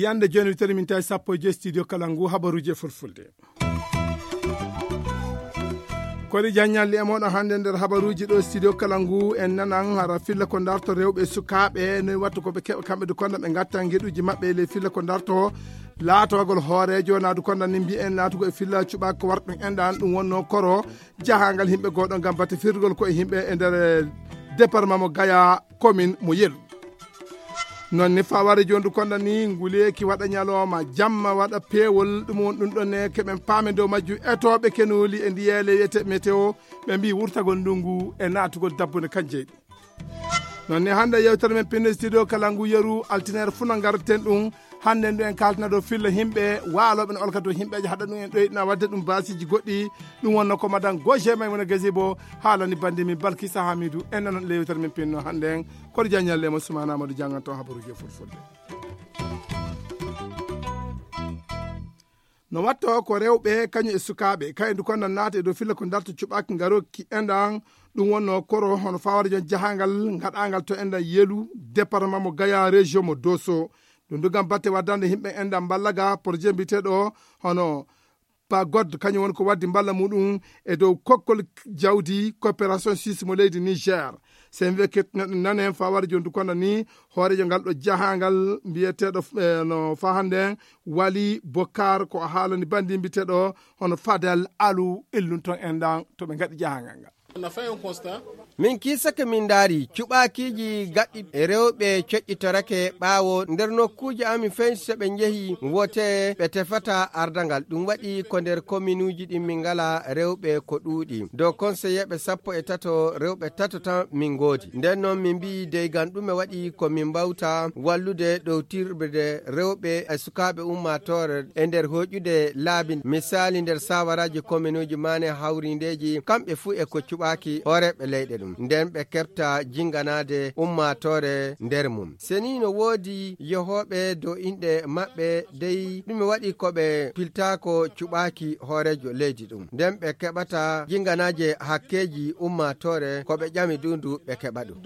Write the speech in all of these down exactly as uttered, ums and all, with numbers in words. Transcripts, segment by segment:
Yande joni witere min tawi sappo e joyi studio kala ngu habaruji e fulfulde. Kori jaññalli e moɗon hannde nder habaruji ɗo studio kala ngu en nanan hara filla ko darto rewɓe e sukaaɓe no wattu ko ɓe keɓa kamɓe du konda ɓe gatta ngeɗuji maɓɓe e ley filla ko darto laatogol hoorejo naadu konda ni mbiyen laatugo e filla cuɓa ko warɗum enɗan ɗum wonno koro jahangal yimɓe goɗo ngam batte firgol ko e yimɓe e nder département mo gaya commune mo yelu. Non ni faware jondu konda ni nguleeki waɗa ñalawma jamma waɗa peewol ɗum won ɗum ɗon ne keɓen paame dow majju etoɓe kenuli e ndiyeele wiyete météo ɓe mbi wurtagol ndungu e naatugol dabbunde kan jeyɗi. Non ni hannde yewtere men pinno studio kala ngu yeru altinere fuu no ngarten ɗum. Hannde ndu en kaltana dow filla yimɓe waaloɓe no olka dow yimɓeje haɗa ɗum en ɗoyɗina wadde ɗum basiji goɗɗi. Ɗum wonno ko madan goje may wona gasibo haalani bandi min balkisa hamidu en nanon lewtere min pinno hannde en. Kono jaññalle mo sumana amadou janganto habaruji e fulfulde. No watto ko rewɓe kañum e sukaaɓe kayen du konda naata e dow filla ko darto cuɓaki ngarokki enɗan. Ɗum wonno koro hono fawara jon jahangal gaɗangal to enɗan yelu département mo gaya région mo doso. Ɗum du gam batte waddande yimɓe enɗan mballaga projet mbiteɗo hono pagod kañum woni ko waddi mballa muɗum e dow kokkol jawdi coopération suisse mo leydi niger. Sen wiye kettinooɗen nane fawara jondu kono ni hoorejo ngal ɗo jahangal mbiyeteɗo no fa hannde wali bokar ko o haalani bandi mbiteɗo hono fadel alu illun ton enɗan to ɓe ngaɗi jahangal ngal. Min kiisake min ndaari cuɓaakiiji gaɗɗi e rewɓe coƴƴitorake ɓaawo nder nokkuuji amin fensi so ɓe njehi wote ɓe tefata ardangal ɗum waɗi ko nder kominuuji ɗin min ngala rewɓe ko ɗuuɗi dow konseyeeɓe sappo e tato rewɓe tato tan min ngoodi nden noon min mbiyi deygan ɗume waɗi ko min mbawta wallude ɗowtirde rewɓe e sukaaɓe ummaatoore e nder hoƴude laabi misali nder sawaraaji kominuuji maane hawrindeeji kamɓe fuu e ko cuɓaaki hooreeɓe leyɗe ɗum nden ɓe keɓta jinganaade ummaatoore nder mum seni no woodi yehooɓe dow inɗe maɓɓe dey ɗume waɗi ko ɓe piltaako cuɓaaki hooreejo leydi ɗum nden ɓe keɓata jinganaaje hakkeeji ummaatoore ko ɓe ƴami dundu ɓe keɓa ɗum.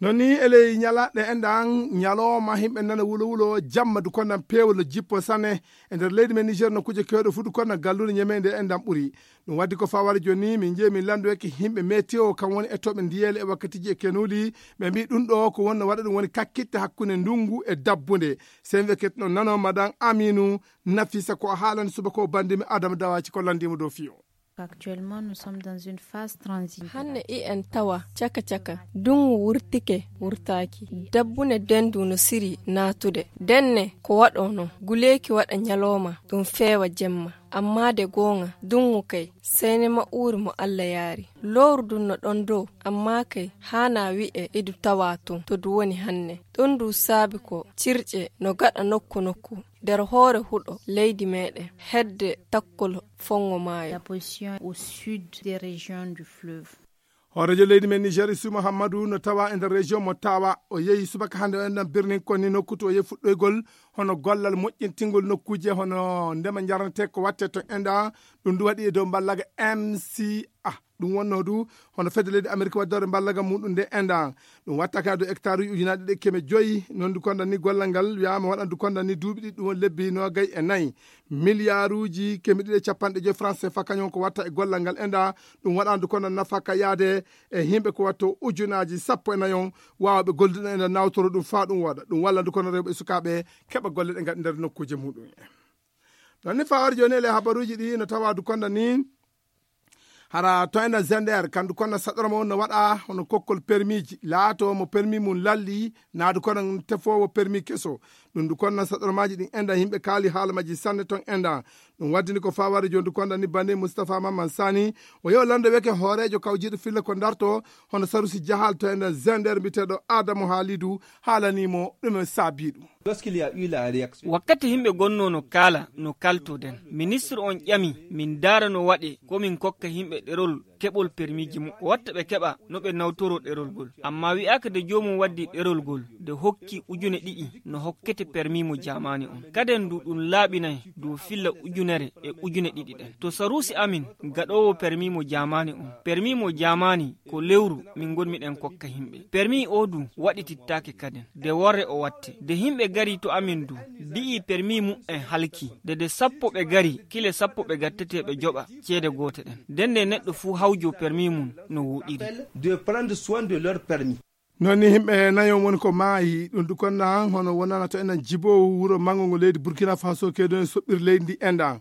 Non ni e ley ñalaɗɗe enɗan ñalowma yimɓe nana wulo wulo jamma du konnan peewol no jippo sane e nder leydi men niger no kuje kewɗo fuu du konnan gallude ñameyde enɗan ɓuri. Ɗum waddi ko faware joni min jeeyi min landoyake yimɓe météo kam woni e toɓe ndiyele e wakkatiji e kenuli ɓe mbi ɗum ɗo ko wonno waɗa ɗum woni kakkitte hakkunde ndungu e dabbunde. Sen weketno nano madan aminu nafisa ko haalani subaka o bandimi adama dawaci ko landimo dow fiyo. Actuellement, nous sommes dans une phase transitoire. Hanne i en tawa caka caka dungu wurtike wurtaki dabbune dendu no siri natude denne ko waɗo no guleeki waɗa ñalowma ɗum feewa jemma amma de goonga dungu kay sene ma uuri mo allah yaari lowru dun no ɗon dow amma kay haana wi'e idu tawa tun to du woni hanne ɗun du saabi ko cirƴe no gaɗa nokku nokku nder hoore huɗo leydi meɗen hedde takkol fongo maayo. La position au sud des régions du fleuve. Hooreejo leydi men niger isu muhammadu no tawa e nder région mo tawa o yehi subaka hannde o enɗan birnin konni nokku to o yehi fuɗɗoygol hono gollal moƴƴintingol nokkuuje hono ndema njarnete ko watte to enɗa ɗum ndu waɗi e dow mballaga mca. Ɗum wonno du hono fedde leydi amérique waddore mballaga muɗum nde enɗa ɗum watta kadi hectare uji ujunaɗe ɗiɗi keme joyi nondu konda ni gollal ngal wiyama waɗandu konda ni duuɓi ɗiɗi ɗum woni lebbi nogay e nayi milliarduji keme ɗiɗi e capanɗe joyi france fa kañum ko watta e gollal ngal enɗa ɗum waɗandu konda nafaka yaade e yimɓe ko watto ujunaji sappo e nayon wawɓe gollude ɗum enɗa nawtoro ɗum fa ɗum waɗa ɗum wallandu konda rewɓe e sukaɓe keɓa golle ɗe gaɗi nder nokkuje muɗum en. Ɗon ni fawar joni ele habaruji ɗi no tawadu konda ni hara to ena gender kandu konna saɗorma on no waɗa hono kokkol permiji laato mo permi mum lalli naadu kono tefowo permi keso ɗum du konna saɗormaji ɗin enda yimɓe kaali haala majji sanne ton enda. Ɗum waddini ko faware joni du konda ni bande moustapha mamman sani o yew lande weke hoorejo kawjiɗo filla ko darto hono sarusi jahal to ena gender mbiyeteɗo adamu haalidu haalanimo ɗum e saabi ɗum. Wakkati himɓe gonnoo no kaala no kaltoden, ministre on ƴami min ndaara no waɗee ko min kokka himɓe ɗerol keɓol permiiji muɓɓen watta ɓe keɓa no ɓe nawtoroo ɗerol ngol. Ammaa wi'aaka nde joomum waddi ɗerol ngol nde hokki ujune ɗiɗi no hokkete permii mo jaamaani on. Kaden ndu ɗum laaɓinay dow filla ujunere e ujune ɗiɗi ɗen. To saruusi amin gaɗoowo permii mo jaamaani on, permii mo jaamaani ko lewru min ngonmiɗen kokka himɓe. Permii oo du waɗitittaake kaden. Nde worre o watte. Nde himɓe gari to amin du, mbi'i permii muɓɓen halki. Nde nde sappo ɓe gari, kile sappo ɓe gattetee ɓe joɓa ceede goote ɗen. Nden nde neɗɗo fuu hawjoo permii mum no wooɗiri. De prendre soin de leur permis. Noon ni himɓe nayo woni ko maayi ɗum du konnan hono wonana to enen jibowu wuro mango ngo leydi Burkina Faso keedoni soɓɓir leydi ndi endan.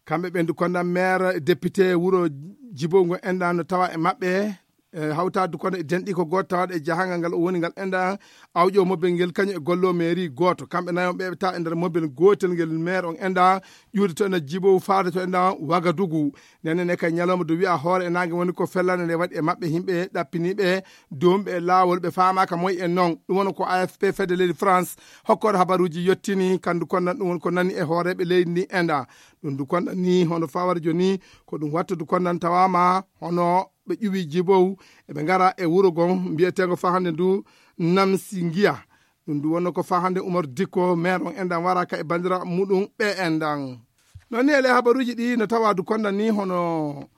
Kamɓe ɓen du konnan maire député wuro jibowu ngo endan no tawa e maɓɓe. E hawtaade du konnan e denɗi ko gooto tawaɗo e jahangal ngal o woni ngal endan. Awƴo mobel ngel kañum e gollo mairie gooto kamɓe nayo ɓe ta e nder mobel gootel ngel maire on endan. Ƴuude to enen jibowu faade to endan wagadugu. Nene ne kay ñalawma du wi'a hoore e naange woni ko fellande nde waɗi e maɓɓe himɓe ɗappiniiɓe doomɓe e laawol ɓe faamaaka moy en noon. Ɗum woni ko afp fedde leydi france hokkooɗo habaruuji yettini kandu konnan ɗum woni ko nani e hooreeɓe leydi ndi enda. Ɗum du konnan ni hono fawara jooni ko ɗum watta du konnan tawaama hono ɓe ƴuwi jibow eɓe ngara e wuro gon mbiyeteengo fahande ndu namsi ngiya. Ɗum du wonno ko fahande umar dikko maire on endan wara ka e bandira muɗum ɓe endan. Noon ni e ley habaruuji ɗi no tawa du konnan ni hono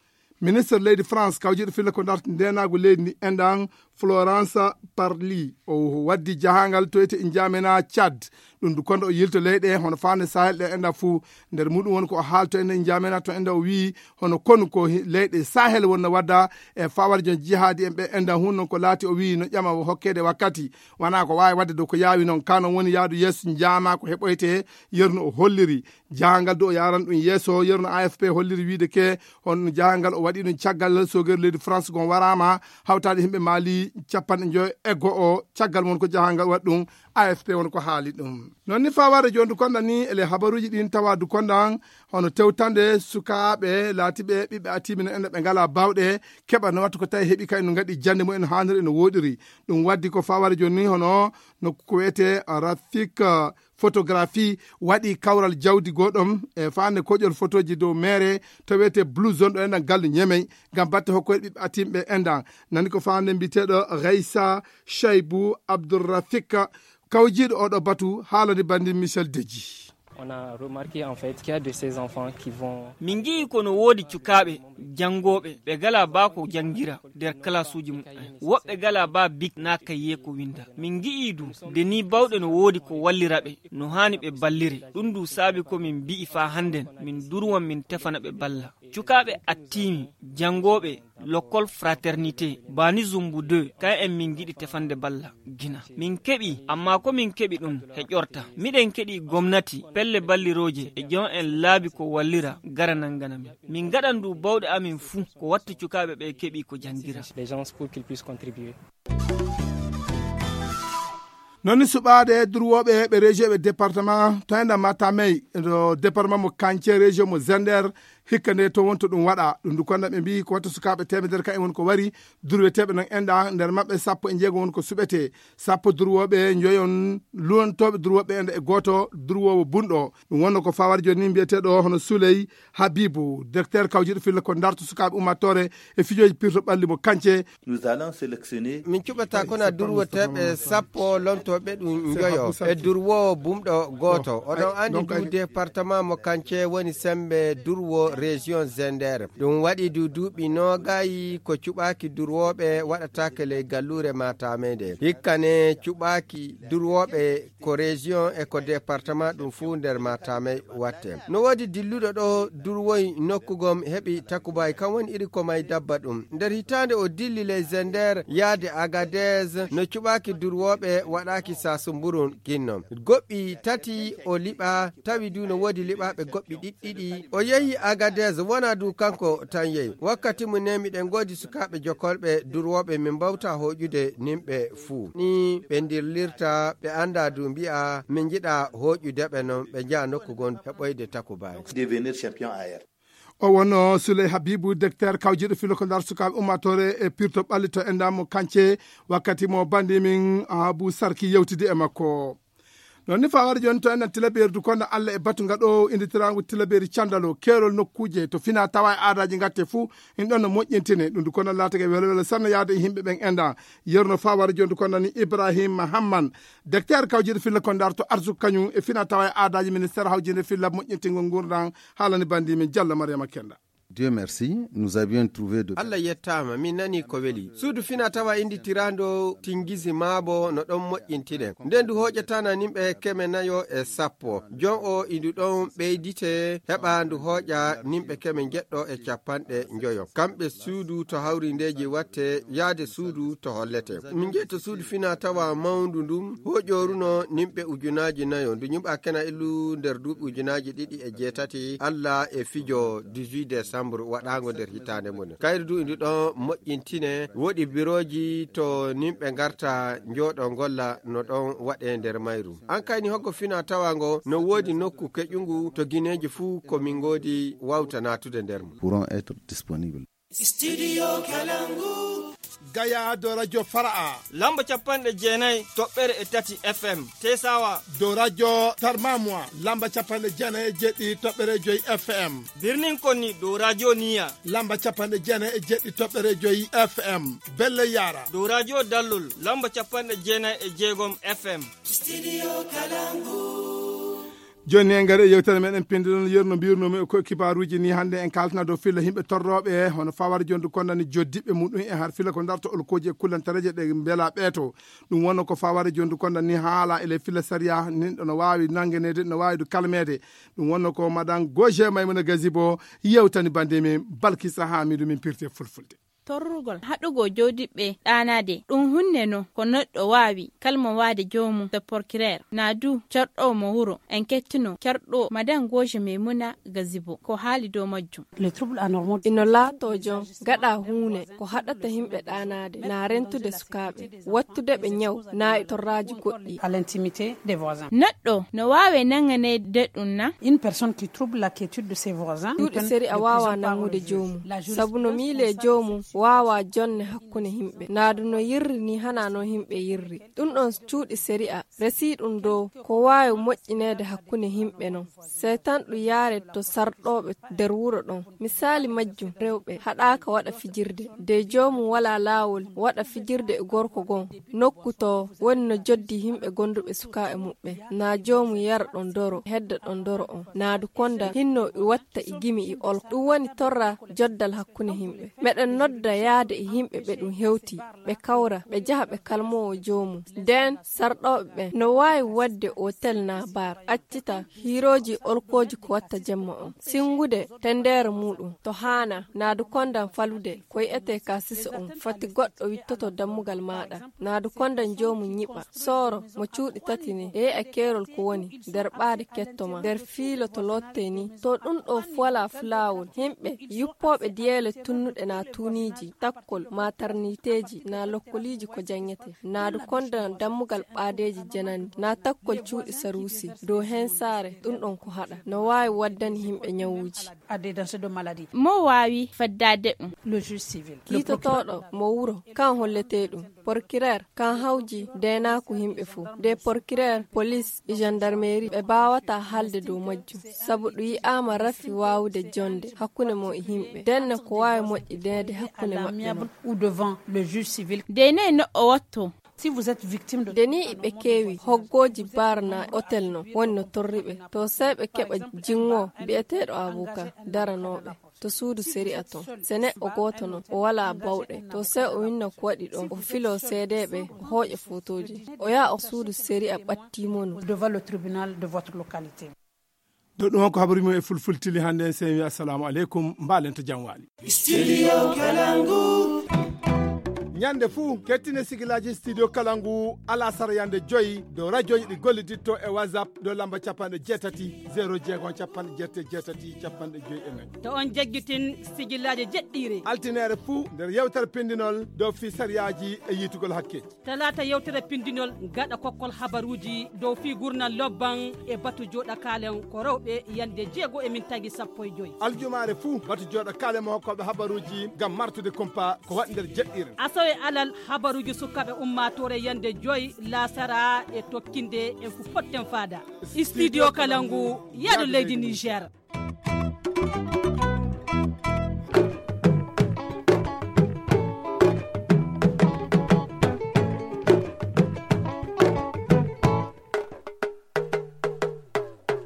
ministre leydi france kawjiɗo filla ko darti ndenaagu leydi ndi endan florence parli o waddi jahangal toyte e njamena tchad. Ɗum du konɗo o yilto leyɗe hono fande sahel ɗe endan fuu. Nder muɗum woni ko o haalto en e njamena to endan o wii hono konu ko leyɗe sahel wonno wadda e fawar jon jihaadi en ɓe endan hun non ko laati o wii no ƴama o hokkeede wakkati. Wona ko waawi wadde dow ko yaawi non kano woni yaadu yeeso njama ko heɓoyte. Yerno o holliri jahangal du o yaran ɗum yeeso yerno afp holliri wiide ke honno jahangal o waɗi ɗum caggal sogere leydi france gon warama hawtaade himɓe maali capanɗe joyo e go'o caggal mon ko jahangal waɗi ɗum. Afp won ko haali ɗum. Noon ni faware jooni du konɗa ni ele habaruuji ɗin tawa du konɗan hono tewtande sukaaɓe laatiɓe ɓiɓɓe atimina ene ɓe ngala bawɗe keɓa no wattu ko tawi heɓi kay no ngaɗi jannde mumen haaniri ene woɗiri. Ɗum waddi ko faware jooni ni hono nokku ko wiyete rafik photographie waɗi kawral jawdi goɗɗom e fande koƴol photoji dow mere to wiyete blue zone ɗo enɗan gallu ñemey ngam batte hokkoyɗe ɓiɓɓe atimɓe enɗan. Nani ko fande mbiteɗo reysa chaybu abdourrafik kawjiɗo oɗo batu haalani bandi michel deji. On a remarqué en fait qu'il y a de ces enfants qui vont. Min ngi'i ko no woodi cukaaɓe janngooɓe ɓe gala baa ko janngira nder kalasuuji muɓɓen. Woɓɓe gala baa bik naa kayye ko winnda. Min ngi'i du nde nii bawɗe no woodi ko wallira ɓe no haani ɓe ballire. Ɗum du saabi ko min mbi'i faa hannden min durwan min tefana ɓe balla. Cukaaɓe attiimi janngooɓe Lokol fraternité baani zumbu deux kay en min ngiɗi tefande balla gina min keɓi amma ko min keɓi ɗum he ƴorta miɗen keɗi gomnati pelle ballirooje e jon en laabi ko wallira gara nangana min min ngaɗan du bawɗe amin fuu ko watta cukaaɓe ɓe keɓi ko janngira. Noon ni suɓaade durwooɓe ɓe région ɓe département to enda matamey ɗo département mo kance région mo zender hikka nde to wonto ɗum waɗa ɗum du konda ɓe mbi ko watta sukaaɓe temedere ka en woni ko wari durweteeɓe noon enɗa nder maɓɓe sappo e jeego woni ko suɓete sappo durwooɓe njoyon luwantooɓe durwooɓe enɗa e gooto durwoowo bunɗo. Ɗum wonno ko fawar jooni mbiyeteeɗo hono souley habibu directeur kawjiɗo filla ko darto sukaaɓe ummatore e fijooji pirto ɓalli mo kance. Nous allons sélectionner. Min cuɓata kona durwoteeɓe sappo lontooɓe ɗum njoyo e durwoowo bumɗo gooto oɗon anndi du département mo kance woni sembe durwo région zender. Ɗum waɗi du duuɓi noogayi ko cuɓaaki durwooɓe waɗataake ley galluure matamey nde hikka ne cuɓaaki durwooɓe ko région e ko département ɗum fuu nder matamey watte. No woodi dilluɗo ɗo durwoy nokku gom heɓi takubaay kam woni iri ko may dabba ɗum nder hitaande o dilli ley zender yaade agadez no cuɓaaki durwooɓe waɗaaki saasumburun ginno goɗɗi tati o liɓa tawi du no woodi liɓaaɓe goɗɗi ɗiɗɗiɗi o yehi agadez wona du kanko tan yehi wakkati mu ne miɗen ngoodi sukaaɓe jokolɓe durwooɓe min mbawta hooƴude nimɓe fuu ni ɓe ndirlirta ɓe annda du mbi'a min njiɗa hooƴude ɓe non ɓe njaha nokku gon heɓoyde takubaay. Devenir champion ayer. O wonno souley habibu directeur kawjiɗo filo ko ndar sukaaɓe ummatore e pirto ɓalli to enɗa mo kance wakkati mo bandi min abu sarki yewtidi e makko. Noon ni fawara jooni to enen tilabeeri du kono Allah e batu ngaɗo inditiraango tilabeeri candalo keerol nokkuuje to fina tawa e aadaaji ngatte fuu in ɗon no moƴƴintine ɗum du kono laatake welo welo sanno yaade e yimɓe ɓen enda yerno fawara jooni du kono ni Ibrahim Hamman, docteur kawjiɗo filla kondaar to arsu kañum e fina tawa e aadaaji ministère hawjinde filla moƴƴintingol ngurndan haalani bandi min Jallo Mariama Kenda. Dieu merci, nous avions trouvé de Allah yettaama, min nanii ko weli. Suudu fina tawa innditiraandu Tingizi Maabo no ɗon moƴƴintine. Nden ndu hooƴataana nimɓe keme nayo e sappo. Jon o indu ɗon ɓeydite heɓa ndu hooƴa nimɓe keme njeɗɗo e capanɗe njoyo. Kamɓe suudu to hawrindeeji watte yaade suudu to hollete. Min njehi to suudu fina tawa mawndu ndun hooƴooruno nimɓe ujunaaji nayo. Ndu ñuɓa kena illu nder duuɓi ujunaaji ɗiɗi e jeetati. Allah e fijo dix-huit décembre waɗaango nder hitaande mon. Kayru du indu ɗon moƴƴintine, woɗi birooji to nimɓe ngarta njooɗo ngolla no ɗon waɗe nder mayru. An kayni hoggo fina tawa ngo no woodi nokku keƴungu to gineeji fuu ko min ngoodi wawta naatude nder mum. Pourront être disponible. Studio Kalangu. Gaya do radio Fara'a. Lamba capanɗe jeenayi toɓɓere e tati F M. Tesawa. Do radio Tarmamwa. Lamba capanɗe jeenayi e jeɗɗi toɓɓere joyi F M. Birnin Konni do radio Niya. Lamba capanɗe jeenayi e jeɗɗi toɓɓere joyi F M. Belle Yara. Do radio Dallol. Lamba capanɗe jeenayi e jeegom F M. Studio Kalangu. Jooni en ngari e yewtere meɗen pindi ɗon yerno mbirnumi ko kibaruuji ni hannde en kaltana dow filla yimɓe torrooɓe hono fawar jondu kondani joddiɓe muɗum e har filla ko darto olkoji e kullantareje ɗe mbela ɓeeto. Ɗum wonno ko fawar jondu kondani haala ele filla sariya nin ɗo no waawi nangeneede no waawi du kalmeede. Ɗum wonno ko madan Goje Maymuna Gazibo yewtani bande min Balkisa Hamidu min pirte fulfulde. Torrugol haɗugoo jooɗiɓɓe ɗaanaade ɗum huunde no ko neɗɗo waawi kalmowaade joomum to porkireer naa du carɗoowo mo wuro en kettinoo carɗoowo madan goojo maymuna gazibo ko haali dow majjum. Ino laatoo jon gaɗa huunde ko haɗata yimɓe ɗaanaade naa rentude sukaaɓe wattude ɓe ñaw naa e torraaji goɗɗi. Neɗɗo no waawi nannganeede ɗum na? Cuuɗi sariya waawaa nanngude joomum sabu no miilee joomum waawaa jonne hakkunde yimɓe naadu no yirri nii hanaa noon yimɓe yirri. Ɗum ɗoon cuuɗi sariya resii ɗum dow ko waawi moƴƴineede hakkunde yimɓe noon. Sey tan ɗum yaaree to sarɗooɓe nder wuro ɗoon. Misaali majjum rewɓe haɗaaka waɗa fijirde de joomum walaa laawol waɗa fijirde e gorko goo nokku to woni no joddi yimɓe gonduɓe sukaaɓe muɓɓen naa joomum yara ɗoon doro hedda ɗoon doro on naadu konda hinno e watta e gimi e olko ɗum woni torra joddal hakkunde yimɓe. Meɗen nodda yaade e yimɓe ɓe ɗum hewti ɓe kawra ɓe jaha ɓe kalmowo joomum. Ndeen sarɗooɓe ɓen no waawi waɗde otel naa bar accita hiirooji olkooji ko watta jemma on sinngude tenndeere muuɗum to haanaa naadu kondan falude ko yi'etee ka sisa on fati goɗɗo wittoto dammugal maaɗa naadu kondan joomum ñiɓa sooro mo cuuɗi tati ni e yi'a keerol ko woni nder ɓaade ketto ma nder fiilo to loottee ni to ɗum ɗoo fuwalaa fulaawol yimɓe yuppooɓe diyeele tunnuɗe naa tuuniiji takkol maa tarniiteeji naa lokkoliiji ko janngete naadu kondan dammugal ɓaadeeji janandi naa takkol cuuɗi saruusi dow heen saare ɗum ɗoon ko haɗa no waawi waddani yimɓe ñawuuji. Mo waawi faddaade ɗum? Kiitotooɗo mo wuro kan holletee ɗum porkireer kan hawji deenaaku yimɓe fof de porkireer polis e jandarmeeri ɓe mbaawataa haalde dow majjum sabu ɗum yi'aama rafi waawude jonnde hakkunde mum e yimɓe ndenne ko waawi moƴƴineede hakkunde maɓɓe mum. Deenee no o wattoo? Nde nii iɓe keewi hoggooji bar naa otel no woni no torri ɓe to sey ɓe keɓa jinngoo bi'eteeɗo abuka daranooɓe to suudu sariya ton. Se neɗɗo gooto non o walaa bawɗe to sey o winna ko waɗi ɗon o filoo seedeeɓe o hooƴa footooji o yaha o suudu sariya ɓattii mo no. Dow ɗum on ko habari mum e fulfultili hannde en sen wi assalamu aleykum mbaalen to jam waali. Studio Kalangu. Ñande fuu kettine sigilaaji studio Kalangu alasara yande joyi dow rajooji ɗi golliditto e whatsapp dow lamba capanɗe jeetati zero jeego capanɗe jeetati jeetati capanɗe joyi e nayi. To on jaggitin sigilaaji jeɗɗiire altineere fuu nder yewtere pindinol dow fii sariyaaji e yiitugol hakkeeji. Talaata yewtere pindinol gaɗa kokkol habaruuji dow fii gurnal lobban e batu jooɗa kaalen ko rewɓe yande jeego e min tagi sappo e joyi. Aljumaare fuu batu jooɗa kaalen mo hokkooɓe habaruuji ngam martude kumpa ko waɗi nder jeɗɗiire. Alal habaruuji sukaaɓe ummaatoore yande joy laasara e tokkinde en ko potten faada. Studio Kalangu, yaado leydi Niger.